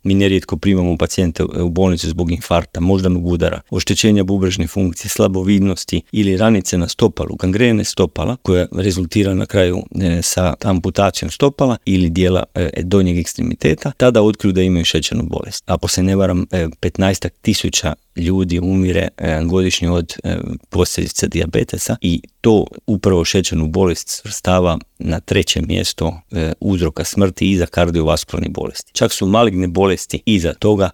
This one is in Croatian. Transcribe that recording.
Mi nerijetko primamo pacijente u bolnicu zbog infarkta, moždanog udara, oštećenja bubrežne funkcije, slabovidnosti ili ranice na stopalu, gangrene stopala koja rezultira na kraju sa amputacijom stopala ili dijela donjeg ekstremiteta, tada otkriju da imaju šećernu bolest. Ako se ne varam, 15.000 ljudi umire godišnje od posljedica dijabetesa i to upravo šećernu bolest svrstava na 3. mjesto uzroka smrti iza kardiovaskularnih bolesti. Čak su maligne bolesti iza toga,